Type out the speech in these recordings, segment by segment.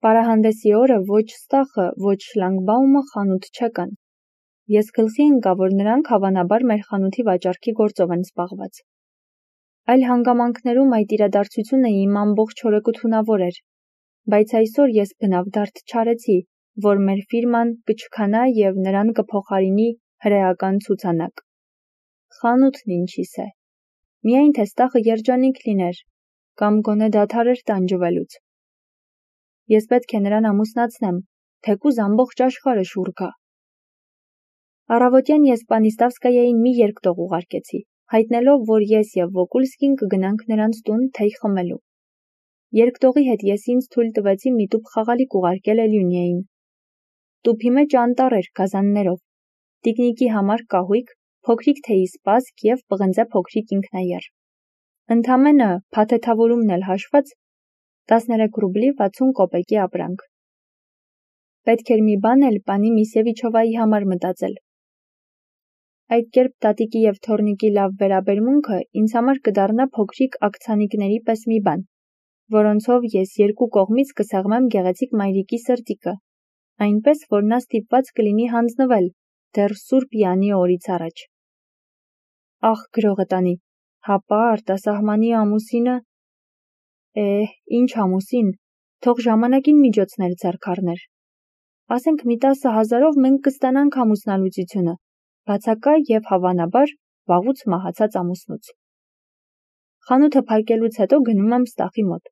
Պարահանդեսի օրը ոչ Ստախը, ոչ Շլանգբաումը խանութ չեկան։ Ես գլխի ընկա, որ նրանք հավանաբար մեր խանութի վաճառքի գործով են զբաղված։ Այլ հանգամանքներում այդ իրադարձությունը իմ ամբողջ օրը կթունավոր էր, բայց այսօր ես բնավ դարդ չարեցի, որ մեր ֆիրման կչքանա և նրան կփոխարինի հրեական ցուցանակ։ Խանութն ինչիս է։ Միայն թե Ստախը երջանիկ լիներ, կամ գոնե դադարեր տանջվելուց։ Ես պետք է նրան ամուսնացնեմ, թեկուզ ամբողջ աշխարհը շուռ գա։ Առավոտյան ես Պանիստավսկայային մի երկտող ուղարկեցի, հայտնելով, որ ես և Վոկուլսկին կգնանք նրանց տուն թեյ խմելու։ Երկտողի հետ ես ինձ թույլ տվեցի մի տուփ խաղալիք ուղարկել Էլյունիային։ Տուփի մեջ անտառ էր գազաններով, տիկնիկի համար կահույք, փոքրիկ թեյի սպասք և պղնձե փոքրիկ ինքնաեռ։ Ընդամենը փաթեթավորումն էլ հաշված 13 ռուբլի 60 կոպեկի ապրանք։ Պետք էր մի բան էլ պանի Միսևիչովայի համար մտածել։ Այդ կերպ տատիկի և թոռնիկի լավ վերաբերմունքը ինձ համար կդառնա փոքրիկ ակցանիկների պես մի բան, որոնցով ես երկու կողմից կսեղմեմ գեղեցիկ մայրիկի սրտիկը, այնպես, որ նա ստիպված կլինի հանձնվել դեռ Սուրբ Յանի օրից առաջ։ Ախ, գրողը տանի, հապա արտասահմանի ամուսինը… Ինչ ամուսին, թող ժամանակին միջոցներ ձեռք առներ։ Ասենք մի 10,000-ով մենք կստանանք ամուսնալուծությունը, բացակա և հավանաբար վաղուց մահացած ամուսնուց։ Խանութը փակելուց հետո գնում եմ Ստախի մոտ։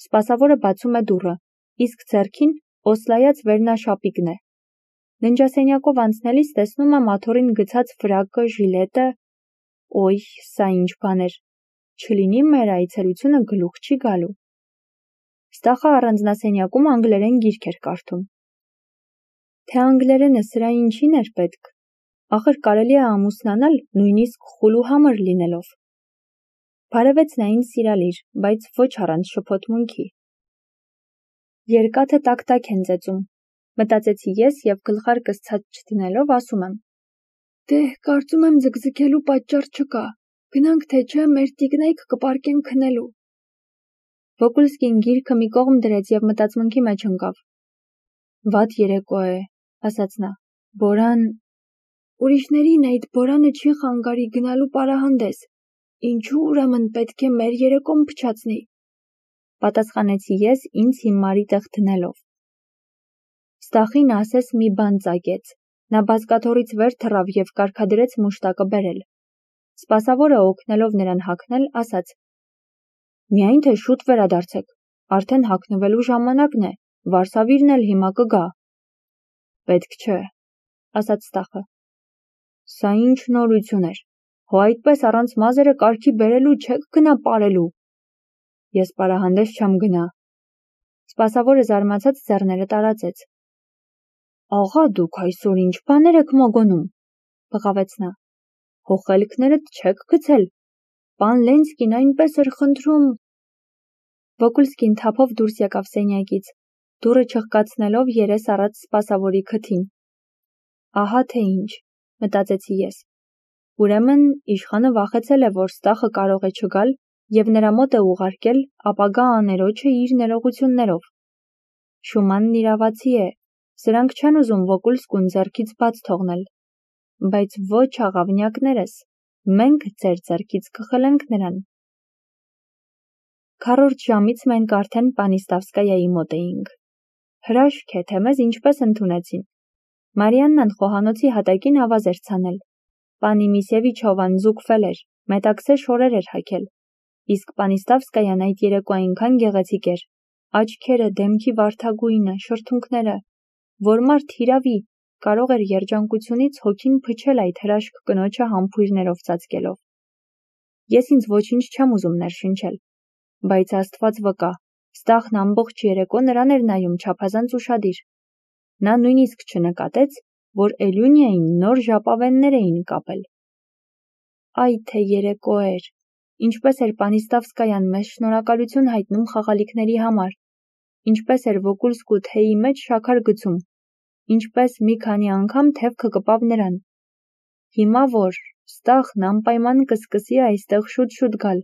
Սպասավորը բացում է դուռը, իսկ ձեռքին օսլայած վերնաշապիկն է։ Ննջասենյակով անցնելիս տեսնում եմ աթոռին գցած ֆրակը, ժիլետը… Օյ, սա ինչ բան էր։ Չլինի մեր այցելությունը գլուխ չի գալու։ Ստախը առանձնասենյակում անգլերեն գիրք էր կարդում։ Թե անգլերենը սրա ինչին էր պետք։ Ախր կարելի է ամուսնանալ նույնիսկ խուլ ու համր լինելով։ Բարևեց նա ինձ սիրալիր, բայց ոչ առանց շփոթմունքի։ Երկաթը տակ-տակ են ծեծում, մտածեցի ես և գլխարկս ցած չդնելով ասում եմ. Դե, կարծում եմ ձգձգելու պատճառ չկա, գնանք թե չէ մեր տիկնայք կպարկեն քնելու։ Վոկուլսկին գիրքը մի կողմ դրեց և մտածմունքի մեջ ընկավ։ Վատ երեկո է, ասաց նա, Բորան… Ուրիշներին այդ Բորանը չի խանգարի գնալու պարահանդես, ինչու ուրեմն պետք է մեր երեկոն փչացնի, պատասխանեցի ես ինձ հիմարի տեղ դնելով։ Ստախին ասես մի բան ծագեց, նա բազկաթոռից վեր թռավ և կարգադրեց մուշտակը բերել։ Սպասավորը օգնելով նրան հագնել, ասաց. Միայն թե շուտ վերադարձեք, արդեն հագնվելու ժամանակն է, վարսավիրն էլ հիմա կգա։ Պետք չէ, ասաց Ստախը։ Սա ինչ նորություն էր, հո այդպես առանց մազերը կարգի բերելու չեք գնա պարելու։ Ես պարահանդես չեմ գնա։ Սպասավորը զարմացած ձեռները տարածեց։ Աղա, դուք այսօր ինչ բաներ եք մոգոնում, բղավեց նա։ Հո խելքներդ չեք գցել, պան Լենսկին այնպես էր խնդրում… Վոկուլսկին թափով դուրս եկավ սենյակից, դուռը չխկացնելով երես առած սպասավորի քթին։ Ահա թե ինչ, մտածեցի ես։ Ուրեմն իշխանը վախեցել է, որ Ստախը կարող է չգալ և նրա մոտ է ուղարկել ապագա աներոջը իր ներողություններով։ Շումանն իրավացի է, սրանք չեն ուզում Վոկուլսկուն ձեռքից բաց թողնել։ Բայց ոչ աղավնյակներս, մենք ձեր ձեռքից կխլենք նրան։ Քառորդ ժամից մենք արդեն Պանիստավսկայայի մոտ էինք։ Հրաշք է, թե մեզ ինչպես ընդունեցին։ Մարիաննան խոհանոցի հատակին ավազ էր ցանել։ Պանի Միսևիչովան զուգվել էր, մետաքսե շորեր էր հագել։ Իսկ Պանիստավսկայան այդ երեկո այնքան գեղեցիկ էր, աչքերը, դեմքի վարդագույնը, շրթունքները, որ մարդ հիրավի կարող էր երջանկությունից հոգին փչել այդ հրաշք կնոջը համբույրներով ծածկելով։ Ես ինձ ոչինչ չեմ ուզում ներշնչել, բայց Աստված վկա, Ստախն ամբողջ երեկո նրան էր նայում չափազանց ուշադիր։ Նա նույնիսկ չնկատեց, որ Էլյունիային նոր ժապավեններ էին կապել։ Այ թե երեկո էր, ինչպես էր Պանիստավսկայան մեզ շնորհակալություն հայտնում խաղալիքների համար, ինչպես էր Վոկուլսկու թեյի մեջ շաքար գցում, ինչպես մի քանի անգամ թևքը կպավ նրան։ Հիմա որ Ստախն անպայման կսկսի այստեղ շուտ-շուտ գալ,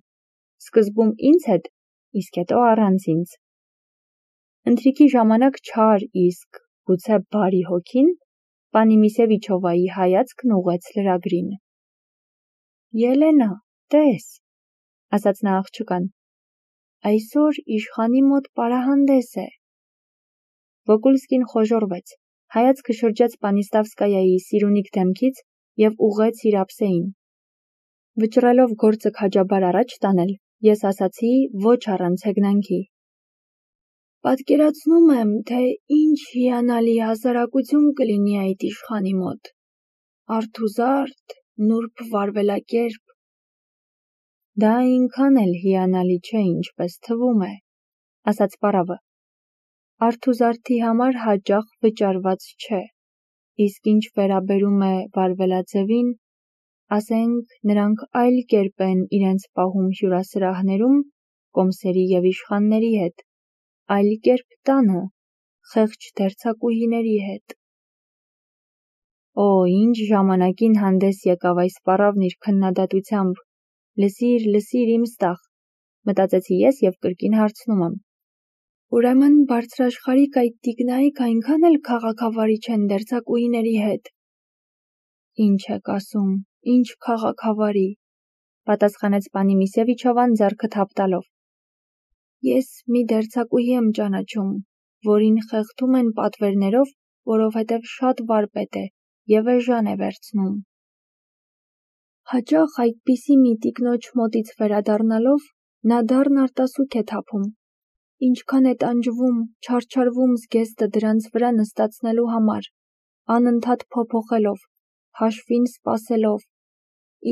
սկզբում ինձ հետ, իսկ հետո առանց ինձ։ Ընթրիքի ժամանակ չար իսկ գուցե բարի հոգին պանի Միսևիչովայի հայացքն ուղղեց լրագրին։ Ելենա, տես, ասաց նա աղջկան, այսօր իշխանի մոտ պարահանդես է։ Վոկուլսկին խոժոռվեց, հայացքը շրջեց Պանիստավսկայայի սիրունիկ դեմքից և ուղղեց իր ափսեին։ Վճռելով գործը քաջաբար առաջ տանել, ես ասացի ոչ առանց հեգնանքի. Պատկերացնում եմ, թե ինչ հիանալի հասարակություն կլինի այդ իշխանի մոտ։ Արթուզարդ, նուրբ վարվելակերպ։ Դա այնքան էլ հիանալի չէ, ինչպես թվում է, ասաց պարավը։ Արթուզարդի համար հաճախ վճարված չէ, իսկ ինչ վերաբերում է վարվելաձևին, ասենք նրանք այլ կերպ են իրենց պահում հյուրասրահներում կոմսերի և իշխանների հետ, այլ կերպ տանը, խեղճ դերձակուհիների հետ։ Օ, ինչ ժամանակին հանդես եկավ այս պարավն իր քննադատությամբ, լսիր իմ ստախ, մտածեցի ես և կրկին հարցնում եմ. Ուրեմն բարձրաշխարհիկ այդ տիկնայք այնքան էլ քաղաքավարի չեն դերձակուհիների հետ։ Ինչ եք ասում, ինչ քաղաքավարի, պատասխանեց պանի Միսևիչովան ձեռքը թափ տալով։ Ես մի դերձակուհի եմ ճանաչում, որին խեղդում են պատվերներով, որովհետև շատ վարպետ է և էժան է վերցնում։ Հաճախ այդպիսի մի տիկնոջ մոտից վերադառնալով նա դառն արտասուք է թափում, ինչքան է տանջվում, չարչարվում զգեստը դրանց վրա նստացնելու համար, անընդհատ փոփոխելով, հաշվին սպասելով,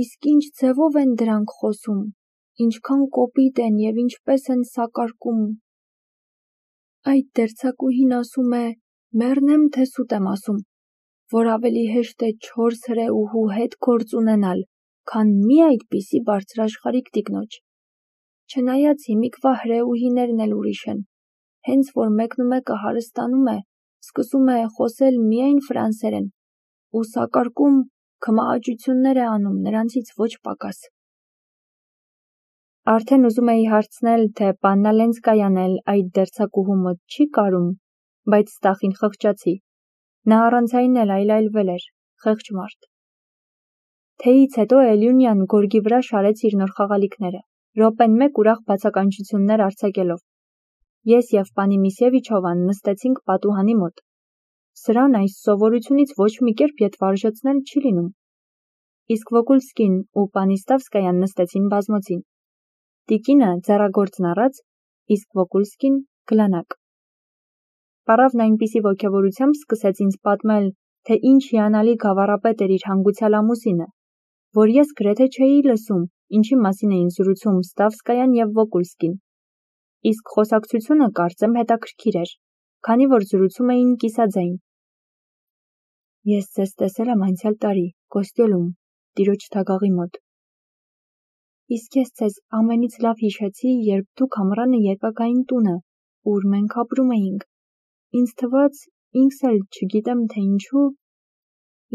իսկ ինչ ձևով են դրանք խոսում, ինչքան կոպիտ են և ինչպես են սակարկում։ Այդ դերձակուհին ասում է, մեռնեմ թե սուտ եմ ասում, որ ավելի հեշտ է 4 հրեուհու հետ գործ ունենալ, քան մի այդպիսի բարձրաշխարհիկ տիկնոջ։ Չնայած հիմիկվա հրեուհիներն էլ ուրիշ են, հենց որ մեկնումեկը հարստանում է, սկսում է խոսել միայն ֆրանսերեն, ու սակարկում քմահաճություններ է անում նրանցից ոչ պակաս։ Արդեն ուզում էի հարցնել, թե պաննա Լենսկայան էլ այդ դերձակուհու մոտ չի կարում, բայց ստախին խղճացի։ Նա առանց այն էլ այլայլվել էր, խեղճ մարդ։ Թեյից հետո Էլյունյան գորգի վրա շարեց իր նոր խաղալիքները, րոպեն մեկ ուրախ բացականչություններ արձակելով։ Ես և պանի Միսևիչովան նստեցինք պատուհանի մոտ։ Սրան այս սովորությունից ոչ մի կերպ ետ վարժեցնել չի լինում։ Իսկ Վոկուլսկին ու Պանիստավսկայան նստեցին բազմոցին։ Տիկինը ձեռագործն առած, իսկ Վոկուլսկին գլանակ։ Պարավն այնպիսի ոգևորությամբ սկսեց ինձ պատմել, թե ինչ հիանալի գավառապետ էր իր հանգուցյալ ամուսինը, որ ես գրեթե չէի լսում, ինչի մասին էին զրուցում Ստավսկայան և Վոկուլսկին։ Իսկ խոսակցությունը կարծեմ հետաքրքիր էր, քանի որ զրուցում էին կիսաձայն։ Ես ձեզ տեսել եմ անցյալ տարի, Կոստյոլում, տիրոջ թագաղի մոտ։ Իսկ ես ձեզ ամենից լավ հիշեցի, երբ դուք ամռանը եկաք այն տունը, ուր մենք ապրում էինք։ Ինձ թվաց, ինքս էլ չգիտեմ թե ինչու,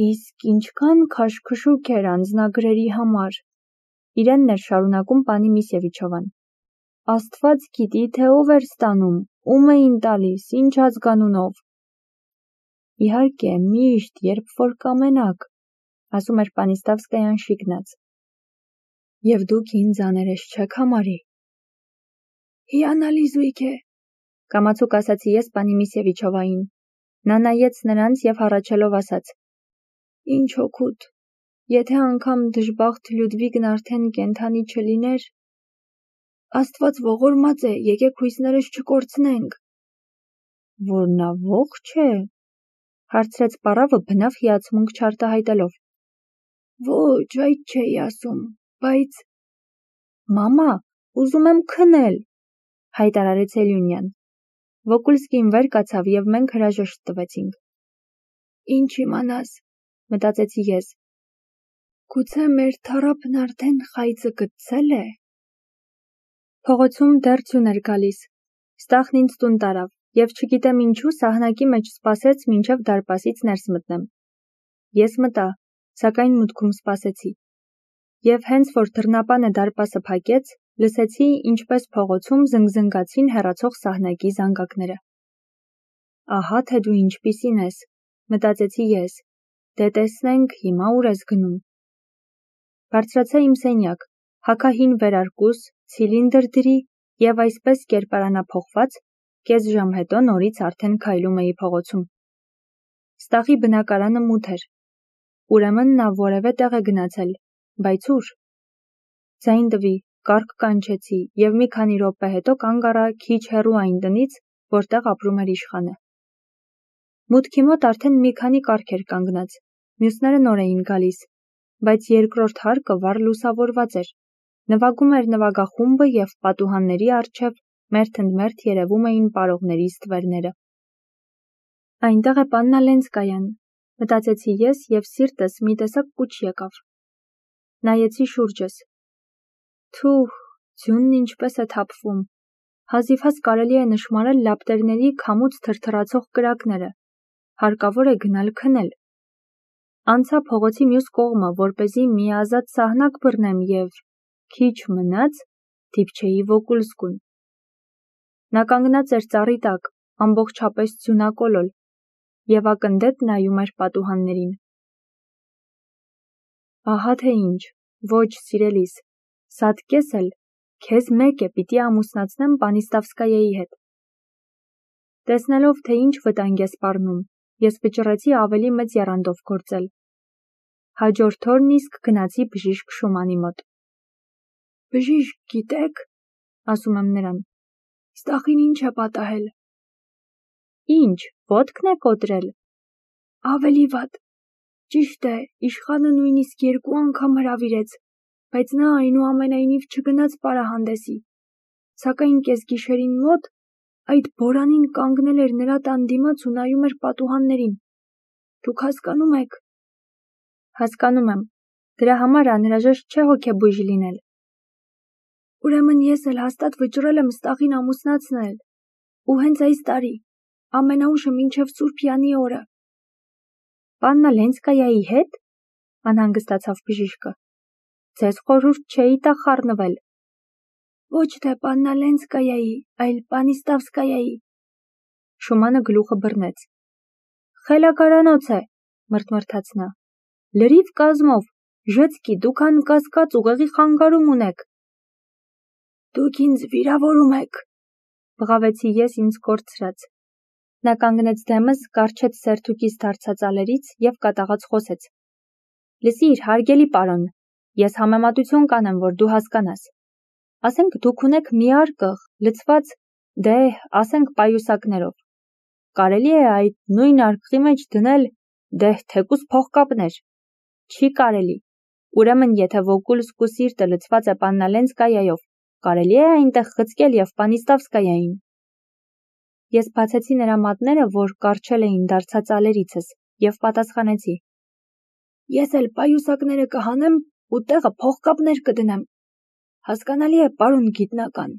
իսկ ինչքան քաշքշուկ էր անձնագրերի համար։ Իրենն էր շարունակում պանի Միսևիչովան։ Աստված գիտի, թե ով էր ստանում, ում էին տալիս, ինչ ազգանունով։ Իհարկե, միշտ, երբ որ կամենաք, ասում էր Պանիստավսկայան շիկնած։ Եվ դուք ինձ աներես չեք համարի։ Հիանալի զույգ է, կամացուկ ասացի ես պանի Միսևիչովային։ Նա նայեց նրանց և հառաչելով ասաց. Ինչ օգուտ, եթե անգամ դժբախտ Լյուդվիգն արդեն կենդանի չլիներ, Աստված ողորմած է, եկեք հույսներս չկորցնենք։ Որ նա ողջ է, հարցրեց պարավը բնավ հիացմունք չարտահայտելով։ Ոչ, այդ չէի ասում, բայց… Մամա, ուզում եմ քնել, հայտարարեց Էլյունյան։ Վոկուլսկին վեր կացավ և մենք հրաժեշտ տվեցինք։ Ինչ իմանաս, մտածեցի ես։ Գուցե մեր թառափն արդեն խայծը գտցել է։ Փողոցում դեռ ձյուն էր գալիս։ Ստախն ինձ տուն տարավ, և չգիտեմ ինչու սահնակի մեջ սպասեց մինչև դարպասից ներս մտնեմ։ Ես մտա, սակայն մուտքում սպասեցի։ Եվ հենց որ դռնապանը դարպասը փակեց, լսեցի, ինչպես փողոցում զնգզնգացին հեռացող սահնակի զանգակները։ Ահա թե դու ինչպիսին ես, մտածեցի ես, դե տեսնենք հիմա ուր ես գնում։ Բարձրացա իմ սենյակ, հագա հին վերարկուս, ցիլինդր դրի և այսպես կերպարանափոխված, կես ժամ հետո նորից արդեն քայլում էի փողոցում։ Ստախի բնակարանը մութ էր, ուրեմն նա որևէ տեղ է գնացել, բայց ուր։ Ձայն տվի, կառք կանչեցի և մի քանի րոպե հետո կանգ առա քիչ հեռու այն տնից, որտեղ ապրում էր իշխանը։ Մուտքի մոտ արդեն մի քանի կառք էր կանգնած, մյուսները նոր էին գալիս, բայց երկրորդ հարկը վառ լուսավորված էր, նվագում էր նվագախումբը և պատուհանների առջև մերթընդմերթ երևում էին պարողների ստվերները։ Այնտեղ է պաննա Լենսկայան, մտածեցի ես և սիրտս մի տեսակ կուչ եկավ։ Նայեցի շուրջս։ Թուհ, ձյունն ինչպես է թափվում, հազիվհազ կարելի է նշմարել լապտերների քամուց թրթռացող կրակները, հարկավոր է գնալ քնել։ Անցա փողոցի մյուս կողմը, որպեսզի մի ազատ սահնակ բռնեմ և քիչ մնաց դիպչեի Վոկուլսկուն։ Նա կանգնած էր ծառի տակ, ամբողջապես ձյունակոլոլ, և ակնդետ նայում էր պատուհաններին։ Ահա թե ինչ, ոչ սիրելիս, սատկես էլ, քեզ մեկ է պիտի ամուսնացնեմ Պանիստավսկայայի հետ։ Տեսնելով, թե ինչ վտանգ է սպառնում, ես վճռեցի ավելի մեծ եռանդով գործել։ Հաջորդ օրն իսկ գնացի բժիշկ Շումանի մոտ։ Բժիշկ, գիտեք, ասում եմ նրան, Ստախին ինչ է պատահել։ Ինչ, ոտքն է կոտրել։ Ավելի վատ։ Ճիշտ է, իշխանը նույնիսկ 2 անգամ հրավիրեց, բայց նա այնուամենայնիվ չգնաց պարահանդեսի։ Սակայն կեսգիշերին մոտ այդ բորանին կանգնել էր նրա տան դիմաց ու նայում էր պատուհաններին։ Դուք հասկանում եք։ Հասկանում եմ, դրա համար անհրաժեշտ չէ հոգեբույժ լինել։ Ուրեմն ես էլ հաստատ վճռել եմ Ստախին ամուսնացնել, ու հենց այս տարի, ամենաուշը մինչև Սուրբ Յանի օրը։ Պաննա Լենսկայայի հետ, անհանգստացավ բժիշկը։ Ձեզ խորհուրդ չէի տա խառնվել։ Ոչ թե Պաննա Լենսկայայի, այլ Պանիստավսկայայի։ Շումանը գլուխը բռնեց։ Խելագարանոց է, մրթմրթաց նա։ Լրիվ կազմով, ժծկի, դուք անկասկած ուղեղի խանգարում ունեք։ Դուք ինձ վիրավորում եք, բղավեցի ես ինձ կորցրած։ Նա կանգնեց դեմս, կառչեց սերթուկից դարձած ալերից և կատաղած խոսեց։ Լսիր, հարգելի պարոն, ես համեմատություն կանեմ, որ դու հասկանաս։ Ասենք դուք ունեք մի արկղ, լցված, դե, ասենք պայուսակներով։ Կարելի է այդ նույն արկղի մեջ դնել, դե, թեկուզ փողկապներ։ Չի կարելի։ Ուրեմն, եթե Վոկուլսկու սիրտը լցված է Պաննա Լենսկայայով, կարելի է այնտեղ խցկել և Պանիստավսկայային։ Ես բացեցի նրա մատները, որ կառչել էին դարձած ալերիցս, և պատասխանեցի. Ես էլ պայուսակները կհանեմ ու տեղը փողկապներ կդնեմ։ Հասկանալի է, պարոն գիտնական։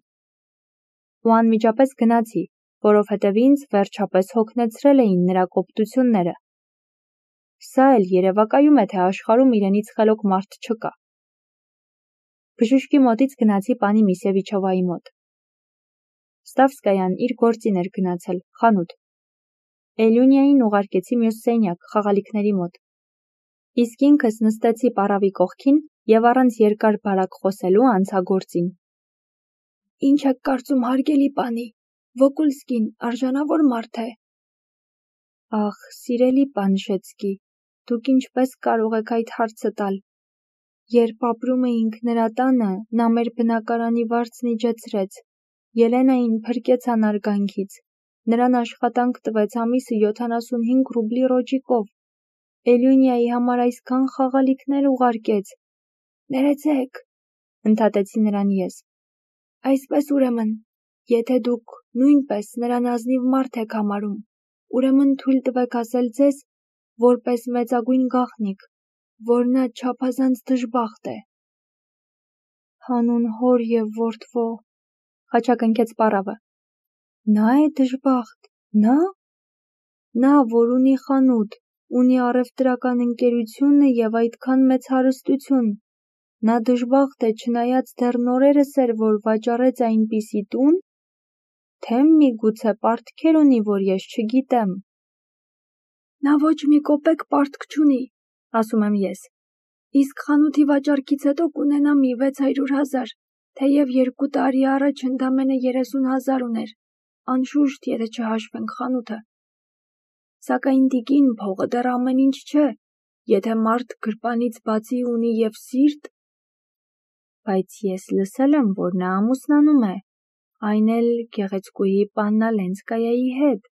Ու անմիջապես գնացի, որովհետև ինձ վերջապես հոգնեցրել էին նրա կոպտությունները։ Սա էլ երևակայում է, թե աշխարհում իրենից խելոք մարդ չկա։ Բժշկի մոտից գնացի պանի Միսևիչովայի մոտ։ Ստավսկայան իր գործին էր գնացել, խանութ։ Էլյունիային ուղարկեցի մյուս սենյակ, խաղալիքների մոտ։ Իսկ ինքս նստեցի պառավի կողքին և առանց երկար բարակ խոսելու անցա գործին։ Ինչ եք կարծում, հարգելի պանի, Վոկուլսկին արժանավոր մարդ է։ Ախ, սիրելի պան Շեցկի, դուք ինչպես կարող եք այդ հարցը տալ։ Երբ ապրում էինք նրա տանը, նա մեր բնակարանի վարձն իջեցրեց, Ելենային փրկեց անարգանքից, նրան աշխատանք տվեց ամիսը 75 ռուբլի ռոճիկով, Էլյունիայի համար այսքան խաղալիքներ ուղարկեց։ Ներեցեք, ընդհատեցի նրան ես։ Այսպես ուրեմն, եթե դուք նույնպես նրան ազնիվ մարդ եք համարում, ուրեմն թույլ տվեք ասել ձեզ, որպես մեծագույն գաղտնիք, որ նա չափազանց դժբախտ է։ Հանուն հոր և որդվո, խաչակնքեց պառավը։ Նա է դժբախտ, նա։ Նա, որ ունի խանութ, ունի առևտրական ընկերությունը և այդքան մեծ հարստություն, նա դժբախտ է, չնայած դեռ նորերս էր, որ վաճառեց այնպիսի տուն։ թե միգուցե պարտքեր ունի, որ ես չգիտեմ։ Նա ոչ մի կոպեկ պարտք չունի, ասում եմ ես, իսկ խանութի վաճառքից հետո կունենա մի 600,000, թեև 2 տարի առաջ ընդամենը 30,000 ուներ, անշուշտ, եթե չհաշվենք խանութը։ Սակայն տիկին, փողը դեռ ամեն ինչ չէ, եթե մարդ գրպանից բացի ունի և սիրտ։ Բայց ես լսել եմ, որ նա ամուսնանում է, այն էլ գեղեցկուհի Պաննա Լենսկայայի հետ։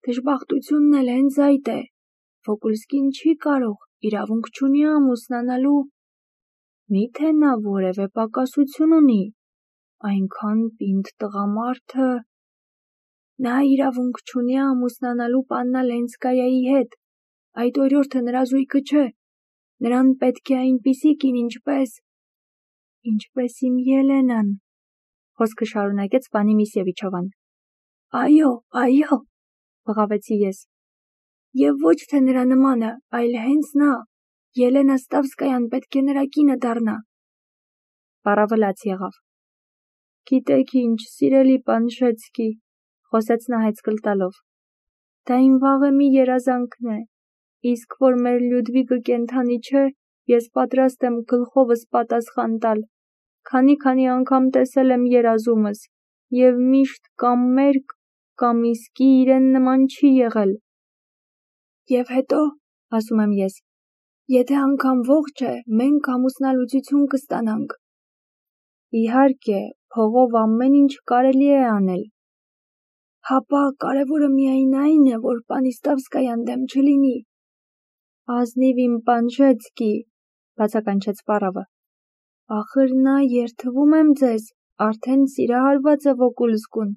Դժբախտությունն էլ հենց այդ է, Վոկուլսկին չի կարող, իրավունք չունի ամուսնանալու։ Միթե նա որևէ պակասություն ունի, այնքան պինդ տղամարդը։ Նա իրավունք չունի ամուսնանալու Պաննա Լենսկայայի հետ, այդ օրիորդը նրա զույգը չէ, նրան պետք է այնպիսի կին, ինչպես իմ Ելենան, խոսքը շարունակեց պանի Միսևիչովան։ Այո, բղավեցի ես։ Եվ ոչ թե նրա նմանը, այլ հենց նա, Ելենա Ստավսկայան պետք է նրա կինը դառնա։ Պառավը լաց եղավ։ Գիտեք ինչ, սիրելի պան Շեցկի, խոսեց նա հայցքլ տալով, դա իմ վաղեմի երազանքն է, իսկ որ մեր Լյուդվիգը կենդանի չէ, ես պատրաստ եմ գլխովս պատասխան տալ, քանի անգամ տեսել եմ երազումս, և միշտ կամ մերկ, կամ իսկի իրեն նման չի եղել։ Եվ հետո, ասում եմ ես, եթե անգամ ողջ է, մենք ամուսնալուծություն կստանանք։ Իհարկե, փողով ամեն ինչ կարելի է անել։ Հապա կարևորը միայն այն է, որ պանի Ստավսկայան դեմ չլինի։ Ազնիվ իմ պան Շեցկի, բացականչեց պառավը։ Ախր նա, երդվում եմ ձեզ, արդեն սիրահարված է Վոկուլսկուն,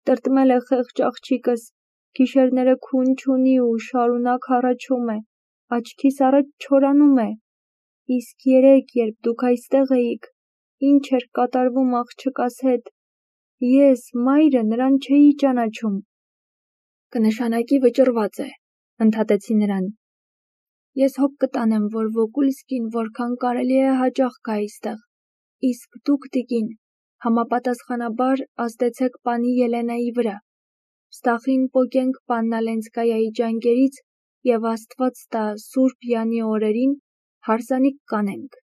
տրտմել է խեղճ աղջիկս, գիշերները քուն չունի ու շարունակ հառաչում է, աչքիս առաջ չորանում է, իսկ երեկ, երբ դուք այստեղ էիք, ինչ էր կատարվում աղջկաս հետ, ես, մայրը, նրան չէի ճանաչում։ Կնշանակի վճռված է, ընդհատեցի նրան։ Ես հոգ կտանեմ, որ Վոկուլսկին որքան կարելի է հաճախ գա այստեղ, իսկ դուք, տիկին, համապատասխանաբար ազդեցեք պանի Ելենայի վրա, Ստախին պոկենք Պաննա Լենսկայայի ջանկերից և Աստված տա Սուրբ Յանի օրերին հարսանիք կանենք։